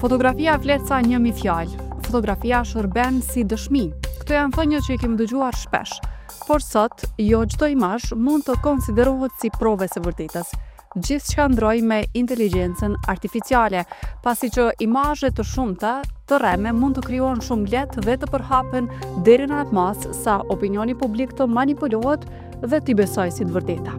Fotografia flet sa 1000 fjalë. Fotografia shërben si dëshmi. Këto janë thënie që i kemi dëgjuar shpesh. Por sot, jo çdo imazh mund të konsiderohet si provë e së vërtetës. Gjithçka ndroi me inteligjencën artificiale, pasi që imazhe të shumta të rreme mund të krijohen shumë lehtë dhe të përhapen deri në atë masë sa opinioni publik të manipulohet dhe t'i besojë si të vërteta.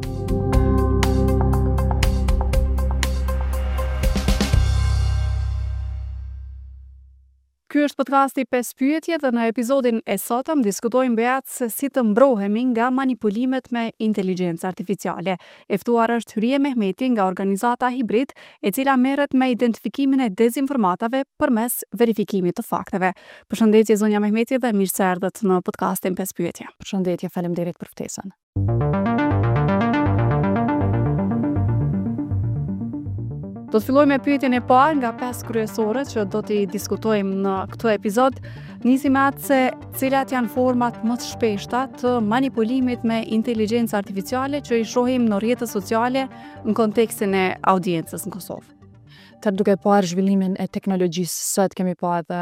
Ky është podcasti 5 pyetje dhe në episodin e sotëm diskutojmë mbi atë se si të mbrohemi nga manipulimet me inteligjencë artificiale. E ftuar është Hyrije Mehmeti nga organizata Hibrid, e cila merret me identifikimin e dezinformatave përmes verifikimit të fakteve. Përshëndetje zonja Mehmeti dhe mirë se erdhët në podcastin 5 pyetje. Përshëndetje, faleminderit për ftesën. Do të fillojmë me pyetjen e parë nga pesë kryesore që do t'i diskutojmë në këtë episod. Nisim me atë se cilat janë format më të shpeshta të manipulimit me inteligjencë artificiale që i shohim në rrjetet sociale në kontekstin e audiencës në Kosovë. Tani duke parë zhvillimin e teknologjisë sot kemi pa edhe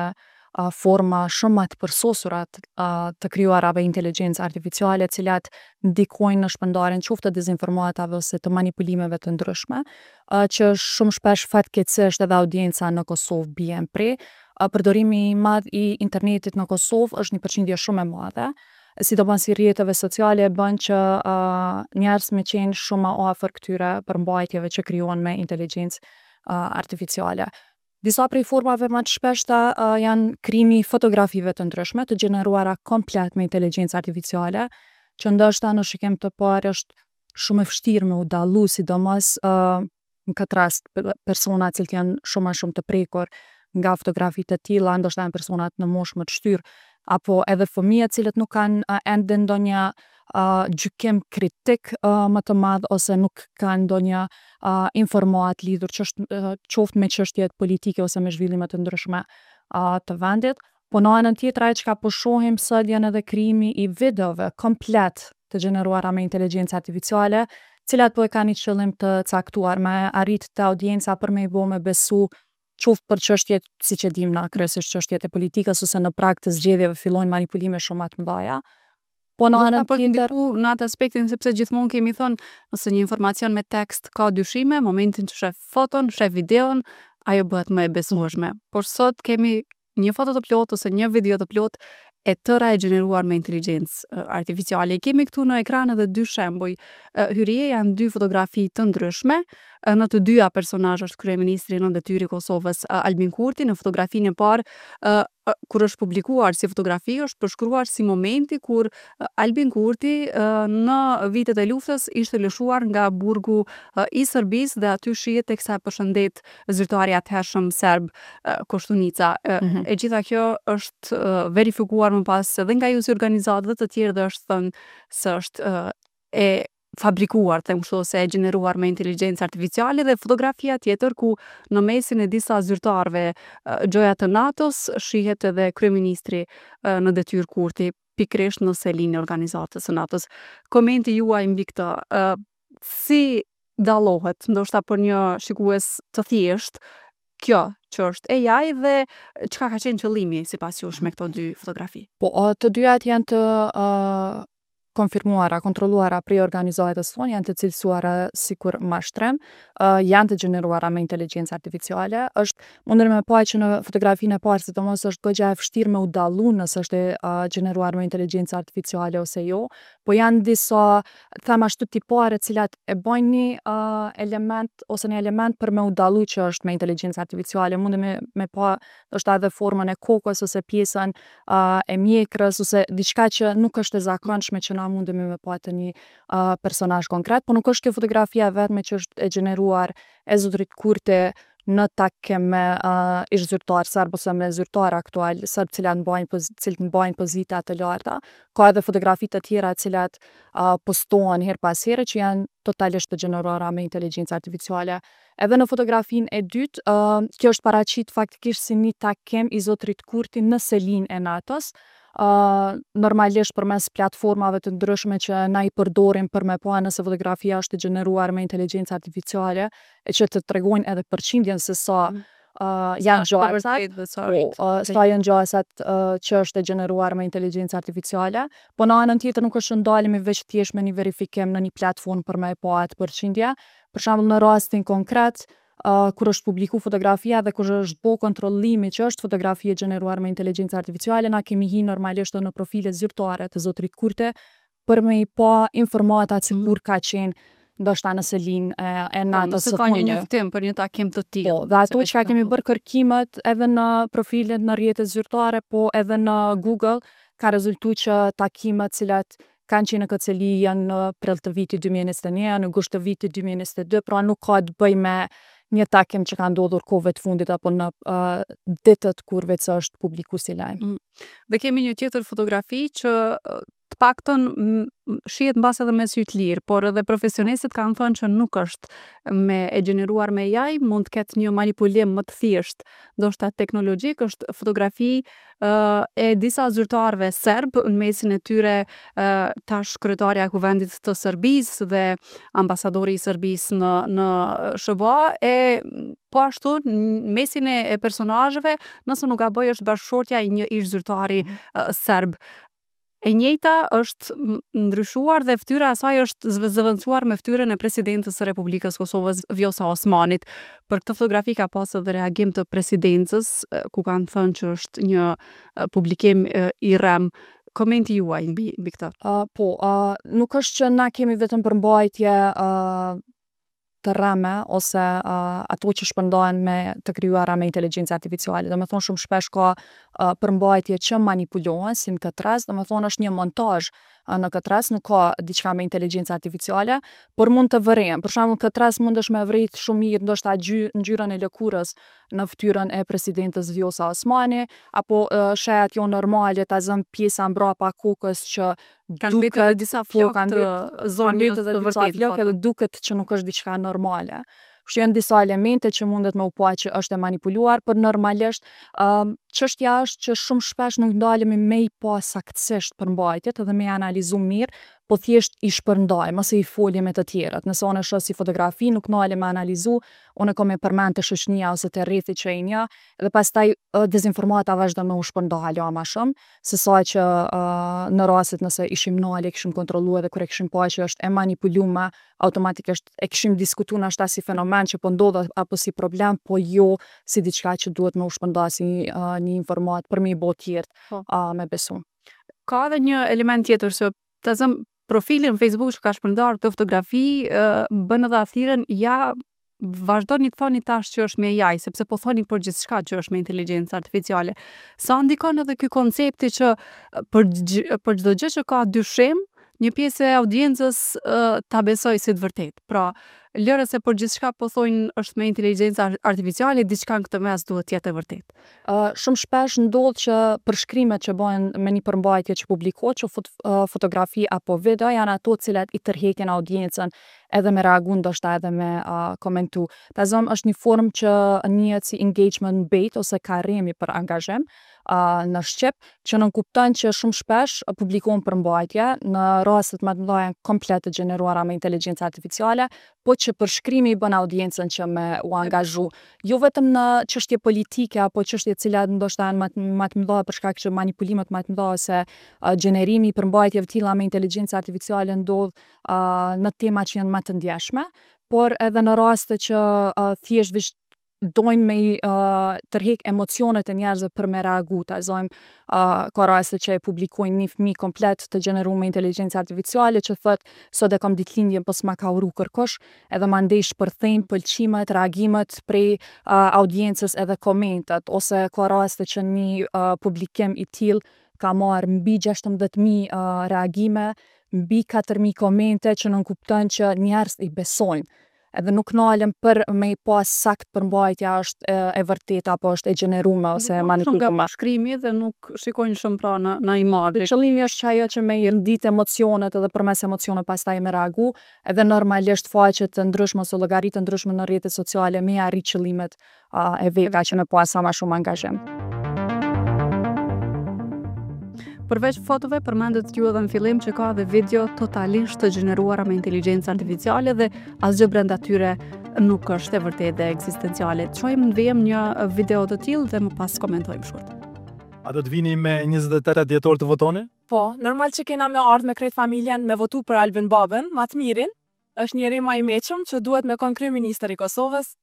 forma shumë ma të përsosura të krijuara me inteligjencë artificiale, të cilat ndikojnë në shpërndarjen qoftë të dezinformatave ose të manipulimeve të ndryshme, që shumë shpesh fatkeqësisht edhe audienca në Kosovë bie në pre. Përdorimi i madh i internetit në Kosovë është një përqindje shumë e madhe, sidomos i rrjeteve sociale e bën që njerëz me qenë shumë ma afër këtyre përmbajtjeve që krijohen me inteligjencë artificiale. Disa prej formave ma të shpeshta janë krijimi i fotografive të ndryshme, të gjeneruara komplet me inteligjencë artificiale, që ndoshta në shikim të parë është shumë e vështirë me u dallu, sidomos në këtë rast persona të cilët janë shumë ma shumë të prekur nga fotografi të tilla, ndoshta janë personat në moshë më të shtyrë, apo edhe fëmijët të cilët nuk kanë ende ndonjë gjykim kritik më të madh ose nuk kanë ndonjë informatë lidhur qoftë me çështjet politike ose me zhvillime të ndryshme të vendit. Po në anën tjetër ajo çka po shohim sot janë edhe krijimi i videove komplet të gjeneruara me inteligjencë artificiale, cilat po e kanë një qëllim të caktuar me arrit te audienca për me i bo me besu qoftë për çështjet, siç e dimë na, kryesisht çështjet e politikës ose në prag të zgjedhjeve fillojnë manipulime shumë ma të mëdha. Po në anën tjetër në atë aspektin sepse gjithmonë kemi thënë nëse një informacion me tekst ka dyshime, momentin që shef foton, shef videon, ajo bëhet më e besueshme. Por sot kemi një foto të plotë ose një video të plotë e tëra e gjeneruar me inteligjencë artificiale. I kemi këtu në ekran edhe dy shembuj. Hyrije janë dy fotografi të ndryshme. Në të dyja personazh është kryeministri në detyrë i Kosovës Albin Kurti. Në fotografinë e parë kur është publikuar si fotografi është përshkruar si momenti kur Albin Kurti në vitet e luftës ishte lëshuar nga burgu i Serbisë dhe aty shihet teksa e përshëndet zyrtari i atëhershëm serb Koshtunica. Mm -hmm. E gjitha kjo është verifikuar më pas edhe nga ju si organizatë dhe të tjerë dhe është thënë se është e fabrikuar, them kështu, ose e gjeneruar me inteligjencë artificiale dhe fotografia tjetër ku në mesin e disa zyrtarëve gjoja të NATO-s shihet edhe kryeministri në detyrë Kurti pikërisht në selinë e organizatës së NATO-s. Komenti juaj mbi këtë, si dallohet, ndoshta për një shikues të thjeshtë, kjo që është AI dhe çka ka qenë qëllimi sipas jush me këto dy fotografi? Po, të dyjat janë të uh, konfirmuara, kontrolluara prej organizatës sonë, janë të cilësuara sikur mashtrim, uh, janë të gjeneruara me inteligjencë artificiale. Është mundemi me pa që në fotografinë e parë, sidomos është goxha e vështirë me u dallu nëse është e uh, gjeneruar me inteligjencë artificiale ose jo, po janë disa, them ashtu tipare, të cilat e bojnë një uh, element ose një element për me u dallu që është me inteligjencë artificiale. Mundemi me pa ndoshta edhe formën e kokës ose pjesën uh, e mjekrës ose diçka që nuk është e zakonshme që na mundemi me pa te një uh, personazh konkret, po nuk është kjo fotografia e vetme që është e gjeneruar e zotrit Kurti në takim me uh, ish zyrtar serb ose me zyrtar aktual serb cilat mbajnë poz, cilët mbajnë pozita të larta. Ka edhe fotografi të tjera të cilat uh, postohen herë pas here që janë totalisht të gjeneruara me inteligjencë artificiale. Edhe në fotografinë e dytë, uh, kjo është paraqit faktikisht si një takim i zotrit Kurti në selinë e NATO-s. Uh, normalisht përmes platformave të ndryshme që na i përdorim për me pa nëse fotografia është e gjeneruar me inteligjencë artificiale, e që të tregojnë edhe përqindjen se sa mm. uh, janë gjasat, po, uh, sa janë gjasat uh, që është e gjeneruar me inteligjencë artificiale, po në anën tjetër nuk është që ndalemi veç thjesht me një verifikim në një platformë për me e pa atë përqindje. Për shembull në rastin konkret, uh, kur është publiku fotografia dhe kur është bo kontrollimi që është fotografi e gjeneruar me inteligjencë artificiale, na kemi hi normalisht edhe në profile zyrtare të zotrit Kurti për me i pa informatat se kur ka qenë ndoshta në selinë e, e Po, NATO-s nëse së ka një fundi. njoftim për një takim të tillë. Po, dhe ato se që kemi bërë kërkimet edhe në profilet në rrjetet zyrtare, po edhe në Google, ka rezultu që takimet cilat kanë qenë në këtë seli janë në prill të vitit 2021, janë në gusht të vitit 2022, pra nuk ka të bëjë me një takim që ka ndodhur kohëve të fundit apo në uh, ditët kur veç është publiku si lajm. Dhe kemi një tjetër fotografi që të paktën shihet mbas edhe me sy të lirë, por edhe profesionistët kanë thënë që nuk është me e gjeneruar me AI, mund të ketë një manipulim më të thjeshtë, ndoshta teknologjik, është fotografi uh, e disa zyrtarëve serb në mesin e tyre uh, tash kryetarja e Kuvendit të Serbisë dhe ambasadori i Serbisë në në SHBA e po ashtu në mesin e, e personazheve, nëse nuk gaboj është bashkëshortja i një ish zyrtari uh, serb. E njëjta është ndryshuar dhe fytyra e saj është zëvendësuar me fytyrën e presidentës së Republikës së Kosovës, Vjosa Osmanit. Për këtë fotografi ka pasur edhe reagim të presidencës, ku kanë thënë që është një publikim i rrem. Komenti juaj mbi mbi këtë. Uh, po, uh, nuk është që na kemi vetëm përmbajtje uh, të rreme ose uh, ato që shpërndahen me të krijuara me inteligjencë artificiale. Do me thonë shumë shpesh ka uh, përmbajtje që manipulohen, si në këtë rast, do me thonë është një montazh uh, në këtë rast, nuk ka diçka me inteligjencë artificiale, por mund të vërehen. Për shembull, në këtë rast mundesh me vërejt shumë mirë ndoshta ngjyrën e lëkurës në fytyrën e presidentës Vjosa Osmani, apo uh, shejat jo normale, ta zëm pjesa mbrapa kokës që Kanë mbetur edhe disa po, flokë kanë të zonjës të edhe disa vërtetë. flokë edhe duket që nuk është diçka normale. Kështu janë disa elemente që mundet me u pa që është e manipuluar, por normalisht um, çështja është që shumë shpesh nuk ndalemi me i pa saktësisht përmbajtjet edhe me i analizu mirë, po thjesht i shpërndajmë ose i folim me të tjerët. Nëse unë e shoh si fotografi, nuk ndalem me analizu, unë e kom e përmend te shoqënia ose te rrethi që i njoh, dhe pastaj dezinformata vazhdon me u shpërnda hala ma shumë, se sa që uh, në rastet nëse ishim nalë, e kishim kontrollu edhe kur e kishim pa që është e manipulume, automatikisht e kishim diskutu nashta si fenomen që po ndodh apo si problem, po jo si diçka që duhet me u shpërnda si uh, një informat për me i bo tjerët Po. uh, me besu. Ka edhe një element tjetër që ta zëm profilin në Facebook që ka shpërndarë këtë fotografi, uh, bën edhe athirën ja vazhdoni të thoni tash që është me AI, sepse po thoni për gjithçka që është me inteligjencë artificiale. Sa ndikon edhe ky koncepti që për për çdo gjë që ka dyshim, një pjesë e audiencës uh, ta besoj si të vërtetë. Pra, lëre se për gjithçka po thonë është me inteligjencë artificiale, diçka në këtë mes duhet të jetë e vërtetë. Uh, shumë shpesh ndodh që përshkrimet që bëhen me një përmbajtje që publikohet, që fot, uh, fotografi apo video, janë ato të cilat i tërheqin audiencën edhe me reagu ndoshta edhe me uh, komentu. Ta zëm është një formë që njihet si engagement bait ose karremi për angazhim uh, në shqip, që nënkupton që shumë shpesh publikohen përmbajtje, në rastet më të mëdha janë komplet të gjeneruara me inteligjencë artificiale, po që përshkrimi i bën audiencën që me u angazhu. Jo vetëm në çështje politike apo çështje të cilat ndoshta janë më të mëdha për shkak që manipulimet më të mëdha ose uh, gjenerimi i përmbajtjeve të tilla me inteligjencë artificiale ndodh uh, në tema që janë më të ndjeshme, por edhe në raste që uh, thjesht veç dojnë me i uh, tërhek emocionet e njerëzve për me reagu, ta zojmë uh, ka raste që e publikojnë një fëmijë komplet të gjeneruar me inteligjencë artificiale që thot sot e kam ditëlindjen po s'ma ka uru kërkush, edhe mandej shpërthejnë pëlqimet, reagimet prej uh, audiencës edhe komentet, ose ka raste që një uh, publikim i tillë ka marrë mbi 16.000 uh, reagime, mbi 4.000 komente që nënkupton që njerëz i besojnë edhe nuk nalen për me i pas sakt përmbajtja është e, e vërtetë apo është e gjenerume ose e Shumë nga manipulume. përshkrimi dhe nuk shikojnë shumë pra në në imazhe. Qëllimi është që ajo që me i ndit emocionet edhe përmes emocioneve pastaj me reagu, edhe normalisht faqe të ndryshme ose llogari të ndryshme në rrjetet sociale me i arrit qëllimet uh, e veta që me pas sa ma shumë angazhim. Përveç fotove, përmendët ju edhe në fillim që ka edhe video totalisht të gjeneruara me inteligjencë artificiale dhe asgjë brenda tyre nuk është e vërtetë dhe ekzistenciale. Të shohim në vijim një video të tillë dhe më pas komentojmë shkurt. A do të vini me 28 dhjetor të votoni? Po, normal që kena me ardhë me krejt familjen me votu për Albin Babën, ma të mirin, është njeri ma i meqëm që duhet me kon kryeministër i Kosovës.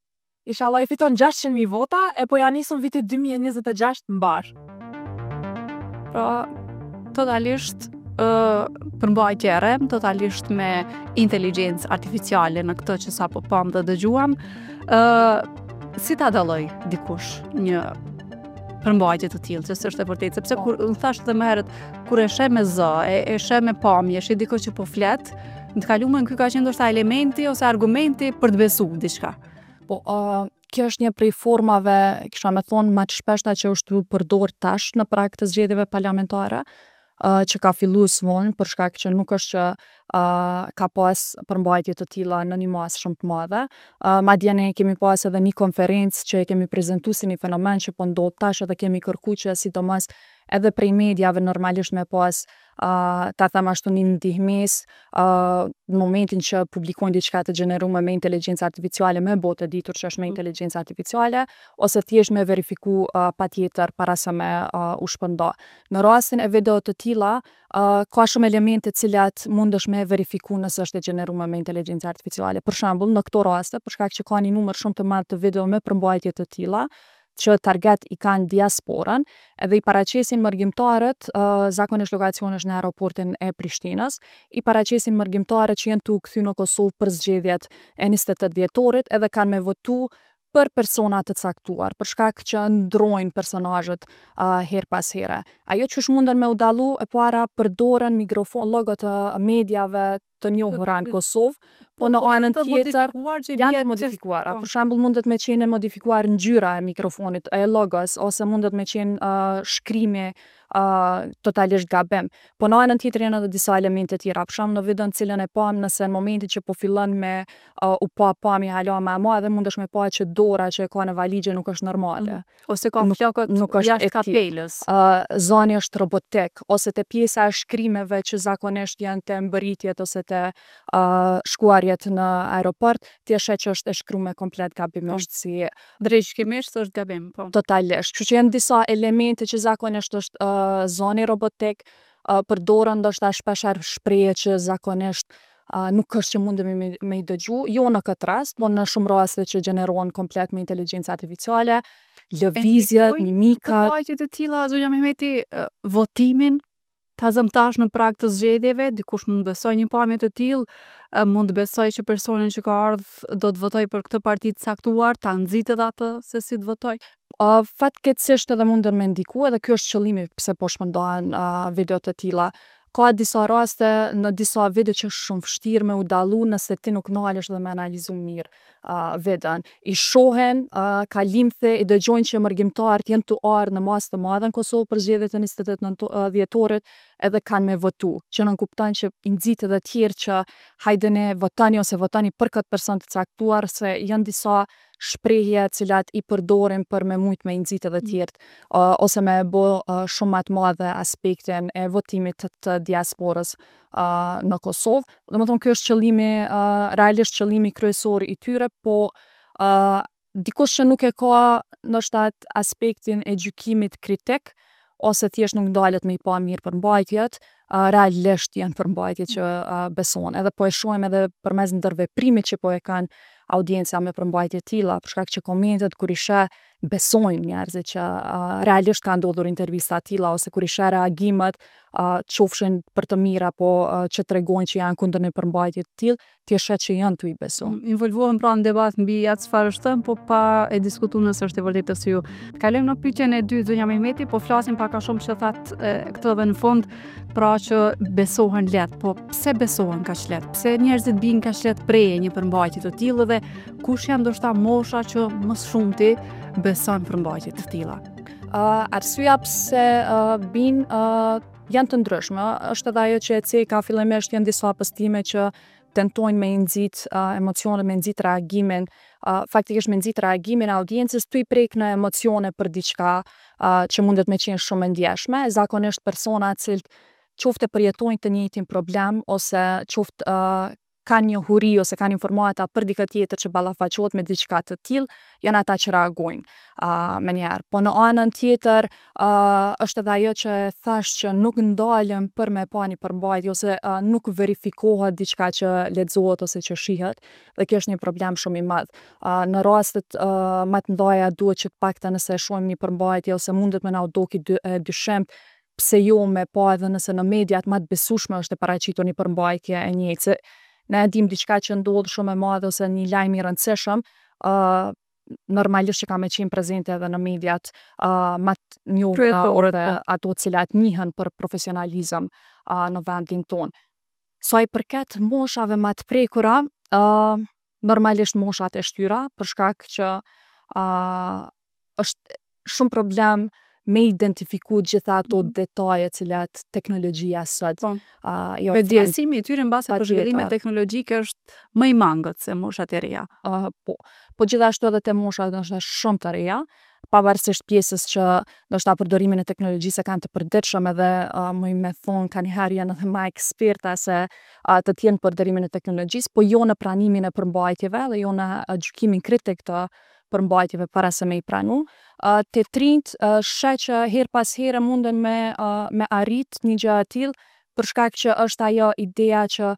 Inshallah i fiton 600.000 vota e po ja nisëm vitit 2026 mbar. Pra, totalisht ë përmbajtje e rrem, totalisht me inteligjencë artificiale në këtë që sapo pamë dhe dëgjuam. ë si ta dalloj dikush një përmbajtje të tillë, që s'është e vërtetë, sepse po. kur unë thash edhe më herët, kur e sheh me zë, e, e sheh me pamje, sheh dikë që po flet, në të kalumen ky ka qenë ndoshta elementi ose argumenti për të besu diçka. Po, uh, kjo është një prej formave, kisha me thonë, ma të shpeshta që është tu përdor tash në prag të zgjedhjeve parlamentare, uh, që ka fillu s'vonë, për shkak që nuk është që uh, ka pas përmbajtje të tilla në një masë shumë të madhe. Uh, madje ne kemi pas edhe një konferencë që e kemi prezentu si një fenomen që po ndodh tash edhe kemi kërku që sidomos edhe prej mediave normalisht me pas uh, ta them ashtu një ndihmes uh, në momentin që publikojnë diçka të gjeneruar me inteligjencë artificiale me bo të ditur që është me inteligjencë artificiale ose thjesht me verifiku uh, patjetër para se me uh, u shpërnda. Në rastin e video të tilla, uh, ka shumë elemente të cilat mundesh me verifiku nëse është e gjeneruar me inteligjencë artificiale. Për shembull, në këto raste, për shkak që ka një numër shumë të madh të video me përmbajtje të tilla, që target i kanë diasporën, edhe i paraqesin mërgimtarët, uh, zakonisht lokacioni është në aeroportin e Prishtinës, i paraqesin mërgimtarët që janë tu u kthy në Kosovë për zgjedhjet e 28 dhjetorit edhe kanë me votu për persona të caktuar, për shkak që ndrojnë personazhet uh, her pas here. Ajo që është munden me u dallu, e para përdoren mikrofon, logo të mediave të njohura në Kosovë, po në anën Të tjetër modifikuar që i janë bie të modifikuara. po. Për shembull, mundet me qenë e modifikuar ngjyra e mikrofonit, e logos, ose mundet me qenë uh, shkrimi uh, totalisht gabim. Po në anën tjetër janë edhe disa elemente tjera. Për shembull, në videon të cilën e pam, nëse në momentin që po fillon me uh, u pa pamje hala ma e madhe, mundesh me pa që dora që e ka në valixhe nuk është normale. Ose ka Nuk- flokët nuk është jashtë e tillë. kapelës. Uh, zani është robotik ose te pjesa e shkrimeve që zakonisht janë te mbërritjet ose te uh, shkuarjet në aeroport, ti e sheh që është e shkruar komplet gabimisht si Drejtshkimisht është gabim, po. totalisht. Kështu që janë disa elemente që zakonisht është uh, zani robotik, uh, përdoren ndoshta shpeshherë shprehje që zakonisht uh, nuk është që mundemi me, me i dëgju, jo në këtë rast, po në shumë raste që gjenerohen komplet me inteligjencë artificiale, lëvizjet, ndikojnë mimikat, Përmbajtje të tilla, zonja Mehmeti, ë, votimin, ta zëm tash në prag të zgjedhjeve, dikush mund të besoj një pamje të tillë, ë, mund të besoj që personin që ka ardhur do të votoj për këtë parti të caktuar, ta nxit edhe atë se si të votoj. Uh, fatkeqësisht edhe mundën me ndiku, edhe ky është qëllimi pse po shpërndahen uh, video të tilla. Ka disa raste në disa video që është shumë vështirë me u dallu nëse ti nuk nalesh dhe me analizu mirë uh, videon. I shohin uh, kalimthe, i dëgjojnë që mërgimtarët janë tu ardhë në masë të madhe në Kosovë për zgjedhjet e 28 nënto- uh, dhjetorit edhe kanë me votu, që nënkupton që i nxit edhe tjerë që hajde ne votoni ose votoni për këtë person të caktuar se janë disa shprehje të cilat i përdorim për me mujt me i nxit edhe tjerët uh, ose me e bo uh, shumë ma të madhe aspektin e votimit të, të diasporës uh, në Kosovë. Do më thonë, ky është qëllimi, uh, realisht qëllimi kryesor i tyre, po uh, dikush që nuk e ka ndoshta atë aspektin e gjykimit kritik, ose thjesht nuk ndalet me i pa mirë përmbajtjet, uh, realisht janë përmbajtje që uh, besohen. Edhe po e shohim edhe përmes ndërveprimit që po e kanë audienca me përmbajtje të tilla, për shkak që komentet kur i sheh besojnë njerëzit që uh, realisht ka ndodhur intervista të tilla ose kur i sheh reagimet uh, qofshin për të mirë apo uh, që tregojnë që janë kundër një përmbajtje të tillë, ti e sheh që janë tu i besu. Involvohen pra në debat mbi atë çfarë është thënë, po pa e diskutuar nëse është e vërtetë ose jo. Kalojmë në pyetjen e dytë, zonja Mehmeti, po flasim pak a shumë që thatë e, këtë edhe në fund, pra që besohen lehtë, po pse besohen kaq lehtë? Pse njerëzit bien kaq lehtë prej e një përmbajtje të tillë dhe kush janë ndoshta mosha që më së shumti beson përmbajtje të tilla? Uh, arsyeja pse uh, bin uh, janë të ndryshme, është edhe ajo që e ceka fillimisht janë disa postime që tentojnë me i nxit uh, emocionet, me nxit reagimin, uh, faktikisht me nxit reagimin e audiencës, tu i prek në emocione për diçka uh, që mundet me qenë shumë e ndjeshme. Zakonisht persona të cilët qoftë e përjetojnë të njëjtin problem ose qoftë uh, kanë njohuri ose kanë informata për dikë tjetër që ballafaqohet me diçka të tillë, janë ata që reagojnë uh, menjëherë. Po në anën tjetër, uh, është edhe ajo që thash që nuk ndalen për me pa një përmbajtje ose uh, nuk verifikohet diçka që lexohet ose që shihet dhe kjo është një problem shumë i madh. Uh, në rastet uh, më të mëdha duhet që të paktën nëse e shohim një përmbajtje ose mundet me na u doki dy, e dyshim, pse jo me pa edhe nëse në mediat më të besueshme është e paraqitur një përmbajtje e njëjtë. Se ne e dim diçka që ndodh shumë e madhe ose një lajm i rëndësishëm, uh, normalisht që ka me qenë prezente edhe në mediat uh, më të njohura Kryesore, ose po. ato të cilat njihen për profesionalizëm uh, në vendin tonë. Sa i përket moshave më të prekura, uh, normalisht moshat e shtyra, për shkak që uh, është shumë problem me identifiku gjitha ato detaje cilat teknologjia sot Po. uh, i ofron. Vetëdijesimi i tyre mbase për Patjetër. zhvillimet teknologjike është më i mangët se moshat e reja. Uh, po. Po gjithashtu edhe te moshat ndoshta shumë të reja, pavarësisht pjesës që ndoshta përdorimin e teknologjisë e kanë të përditshëm edhe uh, më me thonë kanjëherë janë edhe ma eksperta se uh, të tjerë në përdorimin e teknologjisë, po jo në pranimin e përmbajtjeve dhe jo në uh, gjykimin kritik të përmbajtjeve para se me i pranu. Uh, te t'rinjt uh, sheh që her pas here munden me, uh, me arrit një gjë e tillë, për shkak që është ajo ideja që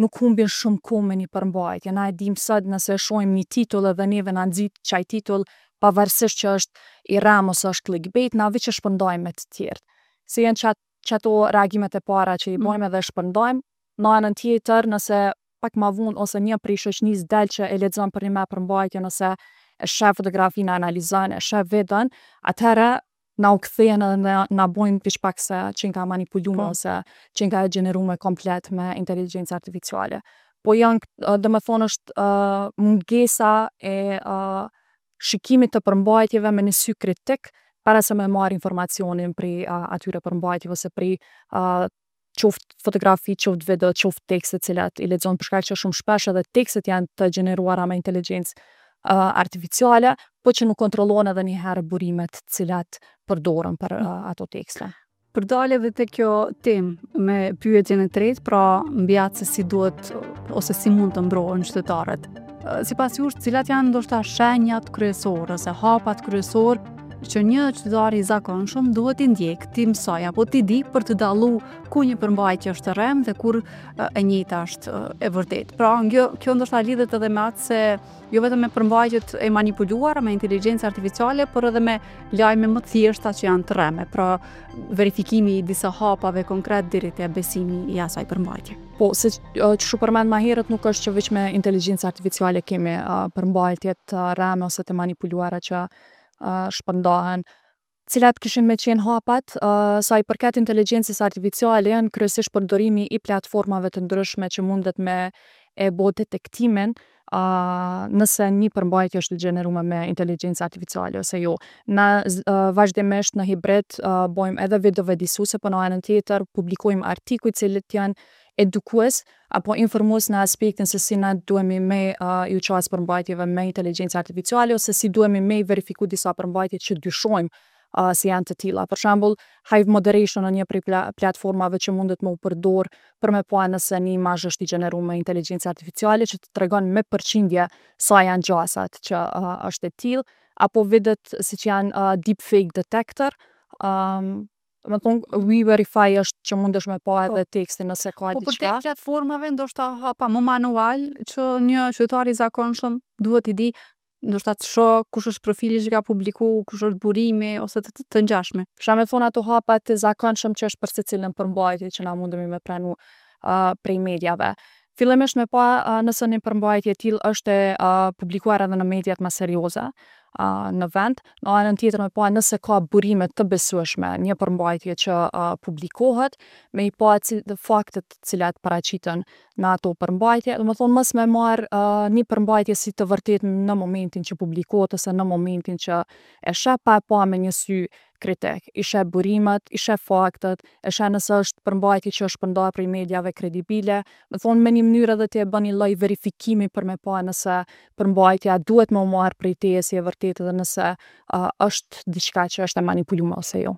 nuk humbin shumë kohë me një përmbajtje. Na e dim sot nëse shohim një titull edhe neve na nxit qaj titull, pavarësisht që është i rrem ose është clickbait, na veç e shpërndajmë me të tjerë. Se janë qat, qato reagimet e para që i Mm. bojmë edhe shpërndajmë. Në anën tjetër, nëse pak ma vonë ose një prej shoqënisë del që e lexon për një me përmbajtjen ose e sheh fotografinë, e analizon, e sheh videon, atëherë na u kthehen edhe na, na bojnë veç pak se që ka manipuluar Po. ose që ka gjeneruar komplet me inteligjencë artificiale. Po janë, uh, do me thonë është uh, mungesa e uh, shikimit të përmbajtjeve me një sy kritik para se me marrë informacionin prej uh, atyre përmbajtjeve ose prej uh, qoftë fotografi, qoftë video, qoftë tekste cilat i lexon për shkak që shumë shpesh edhe tekstet janë të gjeneruara me inteligjencë uh, artificiale, po që nuk kontrollohen edhe një herë burimet cilat përdoren për uh, ato tekste. Për dalë edhe te kjo temë me pyetjen e tretë, pra mbi atë se si duhet ose si mund të mbrohen qytetarët. Sipas jush, cilat janë ndoshta shenjat kryesore ose hapat kryesor që një qytetar i zakonshëm duhet t'i ndjek, t'i mësoj apo t'i di për të dallu ku një përmbajtje është e rremë dhe kur e njëjta është e vërtetë. Pra, kjo, kjo ndoshta lidhet edhe me atë se jo vetëm me përmbajtjet e manipuluara me inteligjencë artificiale, por edhe me lajme më të thjeshta që janë të rreme. Pra, verifikimi i disa hapave konkret deri te besimi i asaj përmbajtje. Po, se që shu përmend ma herët, nuk është që veç me inteligjencë artificiale kemi uh, përmbajtje të rreme ose të manipuluara që uh, shpërndahen. Cilat kishin me qenë hapat, uh, sa i përket inteligjencës artificiale, janë kryesisht përdorimi i platformave të ndryshme që mundet me e bo detektimin uh, nëse një përmbajtje është e gjeneruar me inteligjencë artificiale ose jo. Na uh, vazhdimisht në hibrid uh, bojmë edhe video vetëdijsuese, po në anën tjetër publikojmë artikuj cilët janë edukues apo informues në aspektin se si na duhemi me uh, ju qas përmbajtjeve me inteligjencë artificiale ose si duhemi me i verifiku disa përmbajtje që dyshojmë uh, se janë të tilla. Për shembull, Hive Moderation në një prej pla platformave që mundet me u përdor për me pa nëse një imazh është i gjeneruar me inteligjencë artificiale që të tregon me përqindje sa janë gjasat që uh, është e tillë, apo videot siç janë uh, deepfake detector, um, Do të thonë We Verify është që mundesh me pa edhe tekstin nëse ka Po për diçka. te platformave ndoshta hapa më manual që një qytetar i zakonshëm duhet i di, ndoshta të shoh kush është profili që ka publiku, kush është burimi ose të, të, të ngjashme. Kisha me thonë ato hapat të zakonshëm që është për secilën përmbajtje që na mundemi me pranu uh, prej mediave. Fillimisht me pa uh, nëse një përmbajtje e tillë është e uh, publikuar edhe në mediat më serioze uh, në vend. Në anën tjetër me pa nëse ka burime të besueshme një përmbajtje që uh, publikohet, me i pa cil, faktet të cilat paraqiten në ato përmbajtje, do të thonë mos me marr uh, një përmbajtje si të vërtetë në momentin që publikohet ose në momentin që e sheh pa e pa me një sy kritik. I sheh burimet, i sheh faktet, e sheh nëse është përmbajtje që është shpërndarë prej mediave kredibile. Me thonë me një mënyrë edhe ti e bën një lloj verifikimi për me pa nëse përmbajtja duhet me u marrë prej teje si e vërtetë edhe nëse uh, është diçka që është e manipuluar ose jo.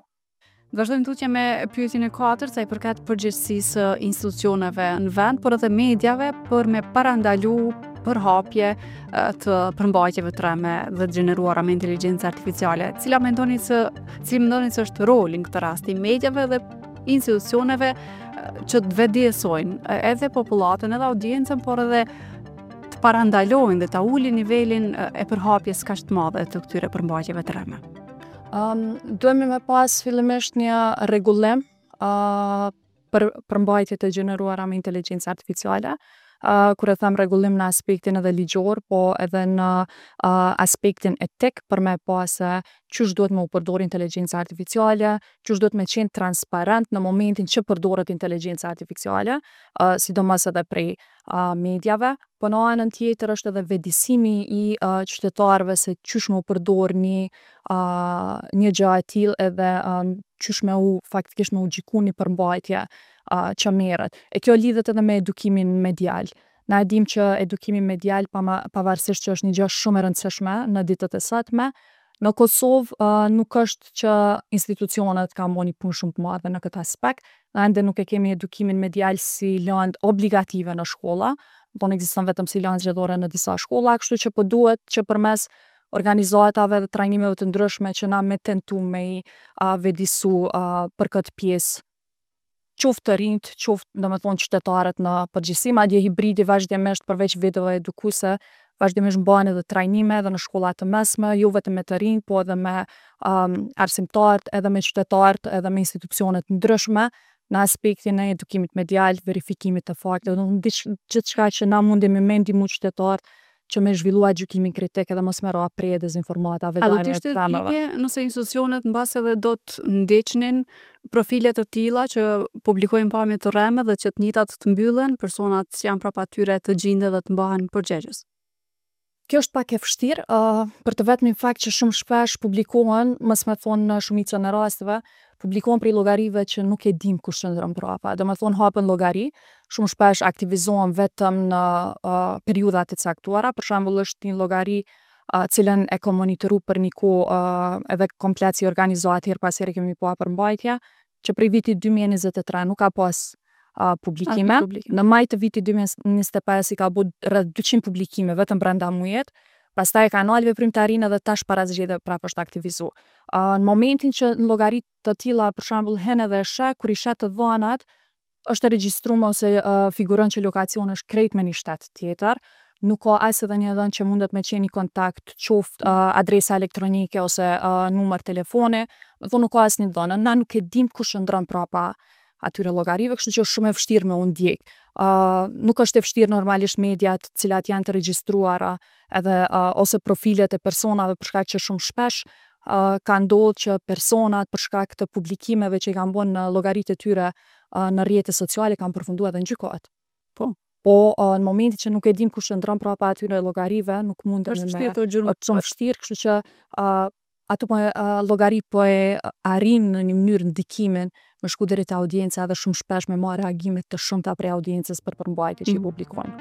Vazhdojmë tutje me pyetjen e katërt sa i përket përgjegjësisë së institucioneve në vend, por edhe mediave për me parandalu përhapje të përmbajtjeve të rreme dhe të gjeneruara me inteligjencë artificiale. Cila mendoni se cili mendoni se është roli në këtë rast i mediave dhe institucioneve që të vetëdijesojnë edhe popullatën, edhe audiencën, por edhe të parandalojnë dhe ta ulin nivelin e përhapjes kaq të madhe të këtyre përmbajtjeve të rreme? Um, duhemi me pas fillimisht një rregullim uh, për përmbajtjet e gjeneruara me inteligjencë artificiale. Uh, kur e them rregullim në aspektin edhe ligjor, po edhe në uh, aspektin etik për me pa se qysh duhet me u përdor inteligjenca artificiale, qysh duhet me qenë transparent në momentin që përdoret inteligjenca artificiale, uh, sidomos edhe prej uh, mediave. Po në anën tjetër është edhe vetëdijsimi i uh, qytetarëve se qysh me u përdor një uh, një gjë e tillë edhe um, qysh me u faktikisht me u gjyku një përmbajtje uh, që merret. E kjo lidhet edhe me edukimin medial. Na e dim që edukimi medial pa pavarësisht që është një gjë shumë e rëndësishme në ditët e sotme, në Kosovë uh, nuk është që institucionet kanë bo një punë shumë të madhe në këtë aspekt. Na ende nuk e kemi edukimin medial si lëndë obligative në shkolla, thonë ekziston vetëm si lëndë zgjedhore në disa shkolla, kështu që po duhet që përmes organizatave dhe trajnimeve të ndryshme që na me tentu me i uh, vetëdisu uh, për këtë pjesë qoftë të rinjt, qoftë, do me thonë, qytetarët në përgjithësi, madje hibridi vazhdimisht përveç videove edukuese, vazhdimisht mban edhe trajnime edhe në shkolla të mesme, jo vetëm me të rinj, po edhe me um, arsimtarët, edhe me qytetarët, edhe me institucionet ndryshme në aspektin e edukimit medial, verifikimit të fakteve, do të thonë gjithçka që na mundemi me ndihmu qytetarët që me zhvillua gjykimin kritik edhe mos me ra pre e dezinformatave A do të ishte etike nëse institucionet mbase edhe do të ndiqnin profile të tilla që publikojnë pamje të rreme dhe që të njëjtat të mbyllen, personat që janë prapa tyre të gjinden dhe të mbahen përgjegjës? Kjo është pak e vështirë, uh, për të vetmin fakt që shumë shpesh publikohen, mos me thonë në shumicën e rasteve, publikohen prej llogarive që nuk e dim kush qëndron prapa. Do me thonë hapen llogari, shumë shpesh aktivizohen vetëm në uh, periudhat e caktuara, për shembull është një llogari uh, cilën e kom monitoru për një kohë uh, edhe komplet si organizatë herë pas here kemi pa përmbajtje, që prej vitit 2023 nuk ka pas uh, publikime. Në maj të vitit 2025 i ka bu rreth 200 publikime vetëm brenda mujit, pastaj e ka nalë veprimtarinë edhe tash para zgjedhjeve prapë është aktivizu. Uh, në momentin që në llogari të tilla, për shembull, hen edhe e sheh, kur i sheh të dhënat, është e regjistruar ose uh, figuron që lokacioni është krejt me një shtet tjetër, nuk ka as edhe një dhënë që mundet me qenë një kontakt, qoftë uh, adresa elektronike ose uh, numër telefoni, do thonë nuk ka asnjë dhënë. Na nuk e dim kush qëndron prapa atyre llogarive, kështu që është shumë e vështirë me u ndjek. Uh, nuk është e vështirë normalisht mediat të cilat janë të regjistruara edhe uh, ose profilet e personave për shkak që shumë shpesh uh, ka ndodhur që personat për shkak të publikimeve që i kanë bërë në llogaritë e tyre uh, në rrjete sociale kanë përfunduar edhe në gjykatë. Po. Po uh, në momentin që nuk e dim kush qëndron prapa atyre llogarive, nuk mundemi Është me vështirë të gjurmë. është shumë vështirë, kështu që uh, ato po e, uh, llogari po e arrin në një mënyrë ndikimin me shku deri te audienca edhe shumë shpesh me marrë reagime të shumta prej audiencës për përmbajtje që i Mm. publikojnë.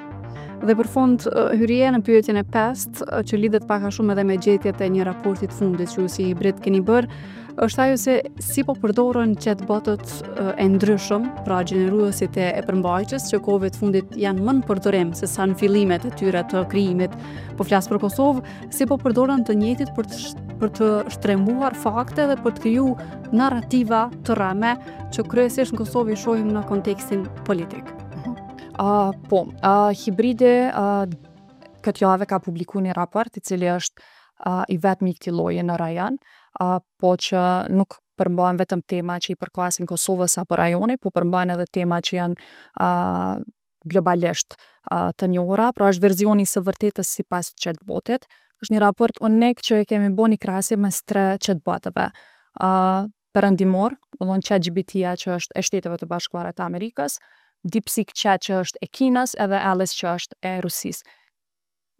Dhe për fund, hyrje në pyetjen e pestë, që lidhet pak a shumë edhe me gjetjet e një raporti të fundit që ju si hibrid keni bërë, është ajo se si po përdoren chatbotët e ndryshëm, pra gjeneruesit e, e përmbajtjes që kohëve të fundit janë më në përdorim se sa në fillimet e tyre të krijimit, po flas për Kosovë, si po përdoren të njëjtit për të për të shtrembuar fakte dhe për të kriju narrativa të rreme që kryesisht në Kosovë i shohim në kontekstin politik. Uh, po, uh, Hibridi uh, këtë javë ka publiku një raport i cili është uh, i vetmi i këtij lloji në rajon, uh, po që nuk përmban vetëm tema që i përkasin Kosovës apo rajonit, po përmban edhe tema që janë uh, globalisht uh, të njohura, pra është versioni i së vërtetës sipas chatbotit. Është një raport unik që e kemi bërë një krahasim mes tre chatbotëve. Uh, perëndimor, do të thonë ChatGPT-ja që është e Shteteve të Bashkuara të Amerikës, DeepSeek Chat që është e Kinës edhe Alice që është e Rusisë.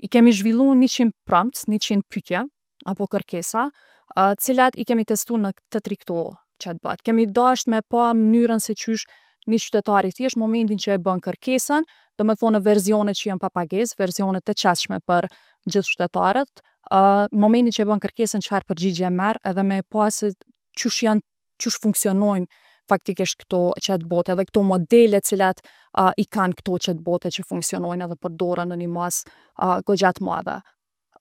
I kemi zhvillu 100 prompts, 100 pyetje apo kërkesa, uh, cilat i kemi testu në të tri këto chatbot. Kemi dasht me pa mënyrën se qysh një qytetar i thjesht momentin që e bën kërkesën, do me thonë në versionet që janë pa pagesë, versionet të qasshme për gjithë qytetarët, uh, momentin që e bën kërkesën çfarë përgjigje merr edhe me pa se qysh janë qysh funksionojnë faktikisht këto chatbot edhe këto modele cilat i kanë këto chatbote që funksionojnë edhe përdoren në një masë goxha të madhe.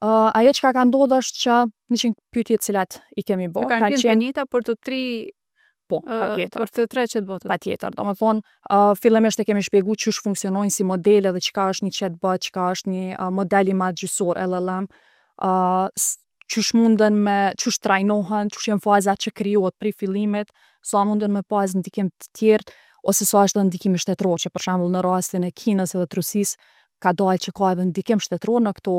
Ajo çka ka ndodhur është që 100 pyetje cilat i kemi bo, Kanë qenë të njëjta për të tri po, patjetër. Për të tre chatbotet. Patjetër, do me thonë, fillimisht e kemi shpjegu qysh funksionojnë si modele dhe çka është një chatbot, çka është një model i madh gjyqësor LLM, qysh munden me, qysh trajnohen, qysh janë fazat që krijohet prej fillimit, sa munden me pas ndikim të tjerë, ose sa është edhe ndikimi shtetëror, që për shembull në rastin e Kinës edhe të Rusisë ka dalë që ka edhe ndikim shtetëror në këto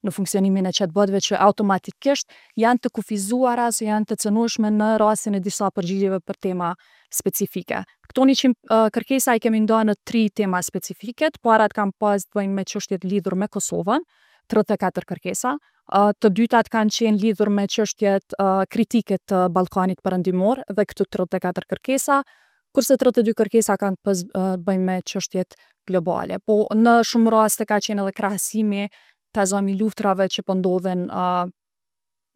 në funksionimin e chatbotëve që automatikisht janë të kufizuara ose janë të cënueshme në rastin e disa përgjigjeve për tema specifike. Këto 100 kërkesa i kemi ndarë në tri tema specifike. Të parat kanë pas të bëjnë me çështjet lidhur me Kosovën, 34 kërkesa. Të dytat kanë qenë lidhur me çështjet kritike të Ballkanit Perëndimor dhe këtu 34 kërkesa, kurse 32 kërkesa kanë pas bëjnë me çështjet globale. Po në shumë raste ka qenë edhe krahasimi ta zëmë i luftrave që po ndodhen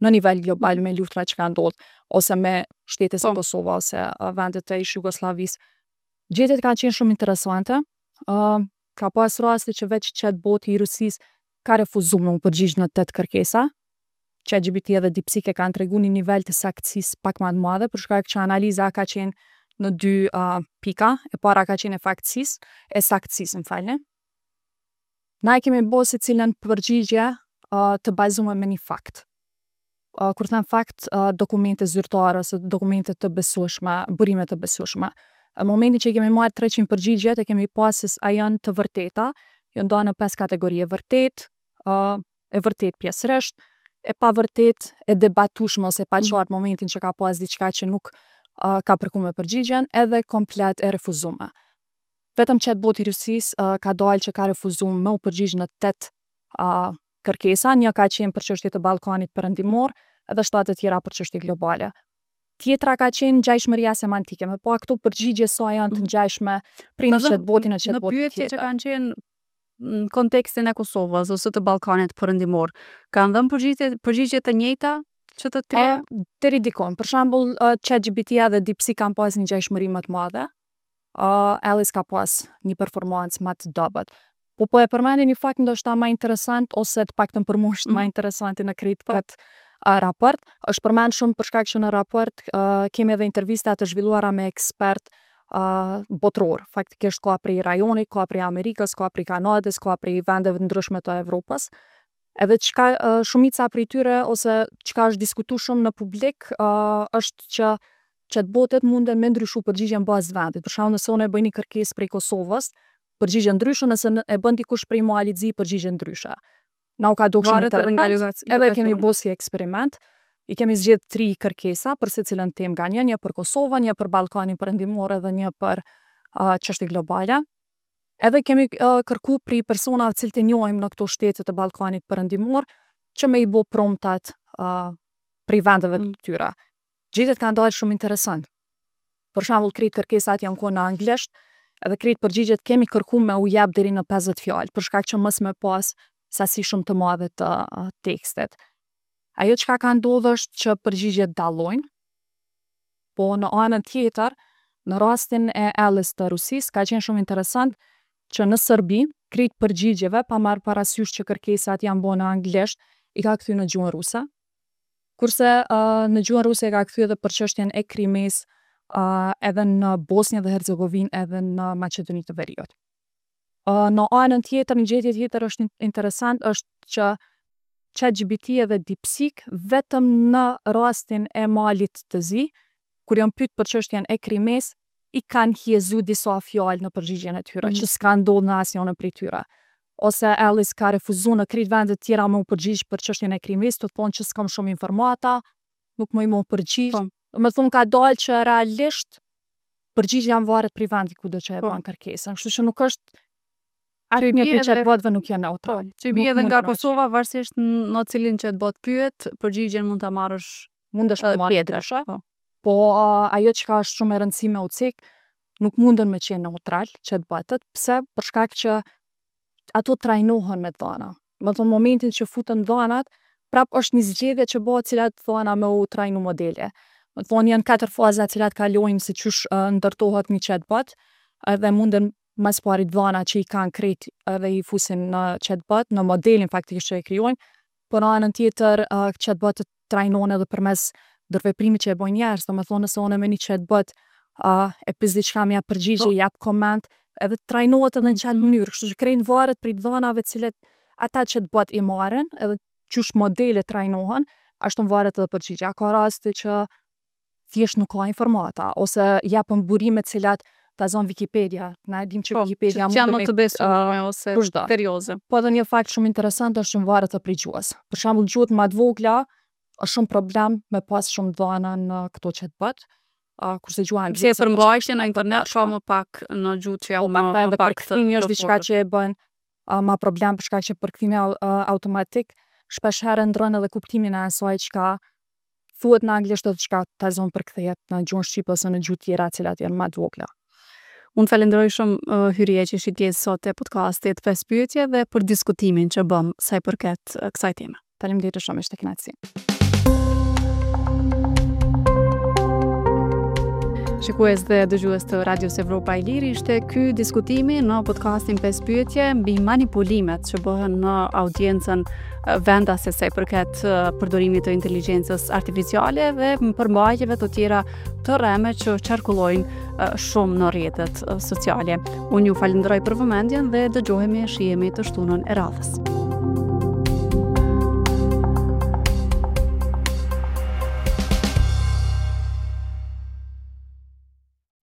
në nivel global me luftrat që kanë ndodhur ose me shtete si Kosova ose vendet e ish Jugosllavisë. Gjetjet kanë qenë shumë interesante. Ka pas raste që veç chatboti i Rusisë ka refuzu me u përgjigj në 8 kërkesa. ChatGPT edhe DeepSeek e kanë tregu një nivel të saktësisë pak më të madhe, për shkak që analiza ka qenë në dy pika. E para ka qenë e faktësisë, e saktësisë, më falni. Na e kemi bo secilën përgjigje të bazuar me një fakt. Kur them fakt, dokumente zyrtare ose dokumente të besueshme, burime të besueshme. Në momentin që i kemi marrë 300 përgjigjet, e kemi pas se a janë të vërteta, janë ndarë në pesë kategori, e vërtet, e vërtet pjesërisht, e pa vërtet, e debatueshme ose e paqartë në momentin që ka pas diçka që nuk ka përku me përgjigjen, edhe komplet e refuzume. Vetëm chatboti i Rusisë ka dalë që ka refuzu me u përgjigj në 8 kërkesa, një ka qenë për çështje të Ballkanit Perëndimor edhe 7 të tjera për çështje globale. Tjetra ka qenë ngjashmëria semantike, me pa këto përgjigje sa janë të ngjashme prej një chatboti në Në chatbot pyetje që tjetër. kanë qenë në kontekstin e Kosovës ose të Ballkanit Perëndimor, kanë dhënë përgjigje përgjigje të njëjta që të tre? Deri dikon. Për shembull, ChatGPT-ja dhe DeepSeek kanë pas një ngjashmëri më të madhe. Alice ka pas një performancë më të dobët. Po po e përmendi një fakt ndoshta më interesant ose të paktën për mua është më interesanti në krejt këtë raport. Është përmend shumë për shkak që në raport kemi edhe intervista të zhvilluara me ekspert botror. Faktikisht ka prej rajonit, ka prej Amerikës, ka prej Kanadës, ka prej vendeve të ndryshme të Evropës. Edhe çka shumica prej tyre ose çka është diskutu shumë në publik është që chatbotet munden me ndryshu përgjigjen në bazë të vendit. Për shembull, nëse unë e bëj një kërkesë prej Kosovës, përgjigje ndryshe, nëse e bën dikush prej Malit Zi, përgjigje ndryshe. Na u ka duk shumë Varet edhe nga interesant, edhe kemi bo si eksperiment. I kemi zgjedh tri kërkesa për secilën temë nga një, një për Kosovën, një për Ballkanin Perëndimor edhe një për çështje globale. Edhe kemi kërku prej personave të cilët e njohim në këto shtete të Ballkanit Perëndimor që me i bo promptat prej vendeve të tyre. Gjetjet kanë dalë shumë interesant. Për shembull, krejt kërkesat janë konë në anglisht, edhe krejt përgjigjet kemi kërku me u jep deri në 50 fjalë, për shkak që mos me pas sasi shumë të madhe të tekstit. Ajo çka ka ndodhur është që përgjigjet dallojnë, po në anën tjetër, në rastin e Alice të Rusisë, ka qenë shumë interesant që në Serbi, krejt përgjigjeve, pa marrë parasysh që kërkesat janë bo në anglisht, i ka kthy në gjuhën ruse. Kurse në gjuhën ruse e ka kthy edhe për çështjen e Krimes, edhe në Bosnjë dhe Hercegovinë, edhe në Maqedoni të Veriut. Në anën tjetër, një gjetje tjetër është interesant, është që ChatGPT edhe DeepSeek vetëm në rastin e Malit të Zi, kur janë pyet për çështjen e Krimes, i kanë hjezu disa fjalë në përgjigjen e tyre, që s'ka ndodhur në asnjërin prej tyre. Ose Alice ka refuzu në krejt vendet tjera me u përgjigj për çështjen e Krimes, të thonë që s'kam shumë informata, nuk më i më përgjigj. Do me thonë ka dalë që realisht përgjigja varet prej vendit ku do që e bën kërkesën. Kështu që nuk është Që i asnjë bie prej edhe chatbotëve nuk janë neutral. Po, që i Nuk bie edhe mund nga të Kosova, varësisht në cilin chatbot pyet, përgjigjen mund ta marrësh Mundesh edhe me marrë tjetër. ndryshe. Po. Po ajo çka është shumë e rëndësishme u cek, nuk munden me qenë neutral chatbotët. Pse? Për shkak që ato trajnohen me dhana. Më thonë momentin që futen dhanat, prap është një zgjedhje që bëhet cilat dhana me u trajnu modele. Me thonë janë katër faza të cilat kalojnë se qysh uh, ndërtohet një chatbot, edhe munden ma s'pari dhana që i kanë krejt edhe i fusin në chatbot, në modelin faktikisht që e krijojnë, por në anën tjetër uh, chatbotët trajnohen edhe përmes ndërveprimit që e bojnë njerëz, do me thonë nëse unë me një chatbot uh, e pys diçka më jap përgjigje, po. jap koment, edhe trajnohet edhe në qatë mënyrë, kështu që krejt varet prej dhanave të cilat ata chatbot i marrin, edhe qysh modelet trajnohen, ashtu varet edhe përgjigja. Ka raste që thjesht nuk ka informata, ose japën burime të cilat ta zon Wikipedia. Na e dim që po, Wikipedia mund të më të besueshme ose serioze. Po edhe një fakt shumë interesant është që varet edhe prej gjuhës. Për shembull, gjuhët më të vogla është shumë problem me pas shumë dhana në këto chatbot. Uh, kurse gjuha angleze. Se përmbajtje në internet ka më pak në gjuhë që janë më, më pak përkthimi është diçka që e bën uh, ma problem për shkak që përkthimi uh, automatik shpesh herë ndron edhe kuptimin e asaj çka thuhet në anglisht edhe çka ta zon përkthehet në gjuhën shqipe ose në gjuhë tjera të cilat janë më të vogla. Unë falenderoj shumë uh, Hyrije që ishit pjesë sot e podcastit 5 pyetje dhe për diskutimin që bëm sa i përket uh, kësaj teme. Faleminderit shumë, ishte kënaqësi. Shikues dhe dëgjues të Radios Evropa e Lirë, ishte ky diskutimi në podcastin 5 pyetje mbi manipulimet që bëhen në audiencën vendase sa i përket përdorimit të inteligjencës artificiale dhe përmbajtjeve të tjera të rreme që qarkullojnë shumë në rrjetet sociale. Unë ju falenderoj për vëmendjen dhe dëgjohemi e shihemi të shtunën e radhës.